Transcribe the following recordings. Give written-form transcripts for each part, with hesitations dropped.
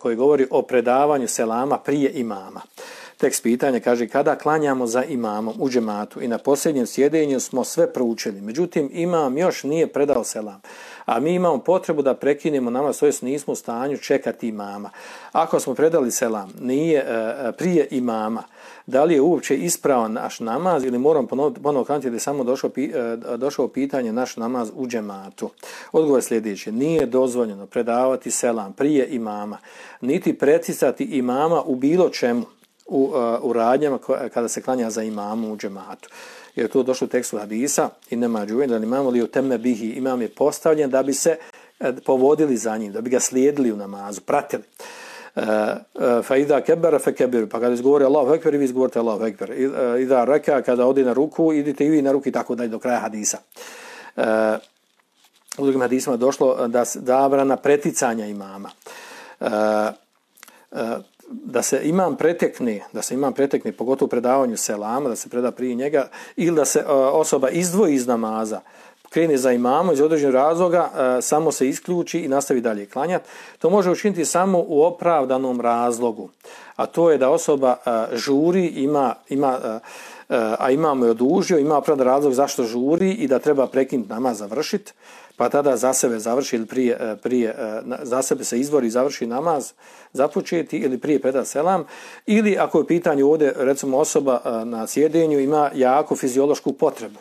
koji govori o predavanju selama prije imama. Tekst pitanja kaže: kada klanjamo za imamom u džematu i na posljednjem sjedenju smo sve proučili, međutim imam još nije predao selam, a mi imamo potrebu da prekinemo namaz, tj. nismo u stanju čekati imama. Ako smo predali selam nije prije imama, da li je uopće ispravan naš namaz ili moram ponovno klanjati da je samo došao pitanje naš namaz u džematu? Odgovor je sljedeći: nije dozvoljeno predavati selam prije imama, niti preticati imama u bilo čemu u radnjama kada se klanja za imamom u džematu. Jer to došlo u tekstu hadisa i nema džuven da imamo li u temme bihi, imam je postavljen da bi se povodili za njim, da bi ga slijedili u namazu, pratili. Fa idha kebara fe kebiru, pa kada izgovori Allahu ekber i vi izgovorite Allahu ekber. Idha reka, kada odi na ruku, idite i vi na ruku i tako dalje do kraja hadisa. U drugim hadisima došlo da zabrana preticanja imama. Da se imam pretekne, pogotovo u predavanju selama, da se preda prije njega, ili da se osoba izdvoji iz namaza, krene za imamom iz određenog razloga, samo se isključi i nastavi dalje klanjati. To može učiniti samo u opravdanom razlogu, a to je da osoba žuri, a imam je odužio, ima opravdan razlog zašto žuri i da treba prekinuti namaz, završiti, pa tada za sebe završi ili prije za sebe se izvori i završi namaz započeti ili prije preda selam, ili ako je u pitanju ovdje recimo osoba na sjedenju ima jako fiziološku potrebu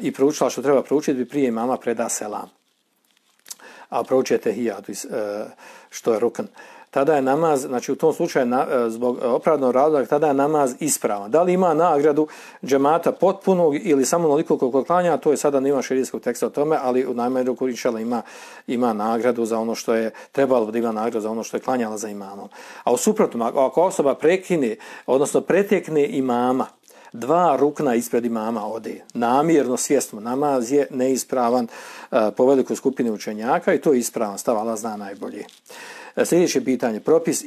i proučila što treba proučiti bi prije imama preda selam, a proučuje tehijat što je rukn. Tada je namaz, znači u tom slučaju zbog opravdanog razloga, tada je namaz ispravan. Da li ima nagradu džemata potpunog ili samo onoliko koliko klanja, to je sada nema šerijskog teksta o tome, ali u najmanju ruku inšallah ima nagradu za ono što je trebalo da ima nagradu za ono što je klanjala za imamom. A u suprotnom, ako osoba prekine, odnosno pretekne imama, dva rukna ispred imama ode, namjerno, svjesno, namaz je neispravan po velikoj skupini učenjaka i to je ispravan stav, Allah zna najbolje. Sljedeće pitanje, propis